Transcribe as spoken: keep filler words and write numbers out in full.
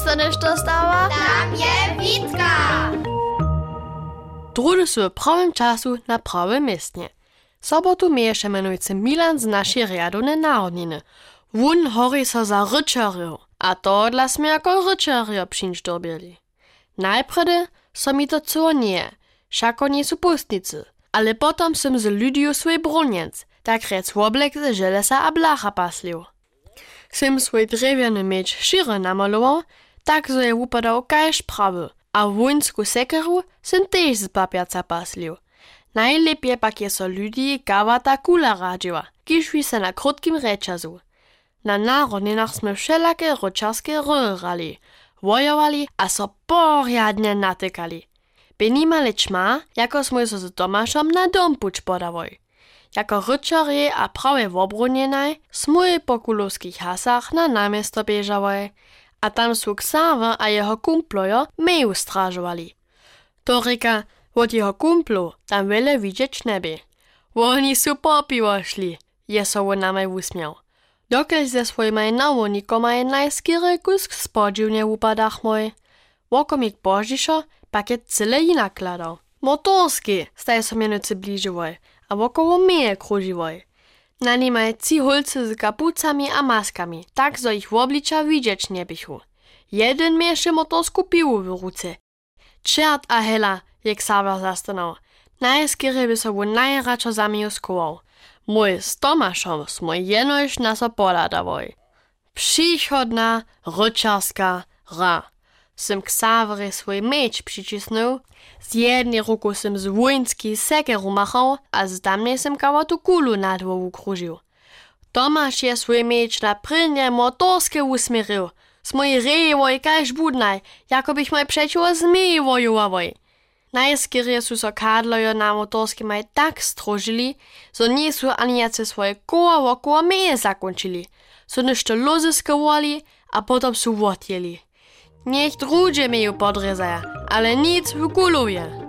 Što nešto stało? Tam je Witka. Druhdy su w prawym času na prawym městnje. Sobotu měješe mjenujcy Milan z našej rjadownej narodniny. Wón hori so za ryćerjow, a tohodla smy jako ryćerjo přińć dyrbjeli. Najprjedy so mi to chcyło njeje, wšako njejsu póstnicy, ale potom sym z ludiju swój brónjenc, tak rjec woblek ze železa a blacha paslił. Sym swój drjewjany měč šěry namalował, tak zo je wupadał kaž prawy, a wóńsku sekeru sym tež z papjaca paslił. Najlěpje pak je so ludij kawata kula radźiła, kiž wi se na krótkim rjećazu. Na narodninach smy wšelake ryćerske hry hrali, wojowali a so porjadnje natykali. Bě nimale ćma, jako smój so z Tomašom na dom puć podałoj. Jako ryćerjej a prawje wobronjenaj smój po kulowskich hasach na naměsto běžałoj, a tam su Ksawer a jeho kumplojo meju stražowali. To rěka, wot jeho kumplow tam wjele widźeć njebě. Woni su po piwo šli, je so wón namaj wusměł. Dokelž ze swójimaj nawownikomaj najskerje kusk spodźiwnje wupadachmoj. Wokomik pozdźišo pak je cyle jinak hladał. Motorskej staj so mjenujcy bližiłoj a wokoło meje króžiłoj. Na nimaj tři hólcy z kapucami a maskami, tak zo jich wobliča widźeć njeběchu. Jedyn měješe motorsku piwu w ruce. Čert a hela, je Ksawer zastanał. Najskerje by so wón najradšo za meju schował. Mój z Tomašom smój jenož na so pohladałoj. Přichodna ryćerska hra. Sym Ksawerjej swój měč přićisnył, z jednej ruku sym z wóńskej sekeru machał a z tamnej sym kawatu kulu nad hłowu kružił. Tomaš je swój měč na prěnje motorske wusměrił. Smój rejłoj kaž budnaj, jako běchmoj přećiwo zmejej wojowałoj. Najskerje su so kadlojo na motorskimaj tak stróžili, zo njejsu ani wjace swoje koła wokoło meje zakónčili, su něšto lózy skowali a potom su wotjěli. Njech druhdźe meju podrězaja, ale nic w kulowje.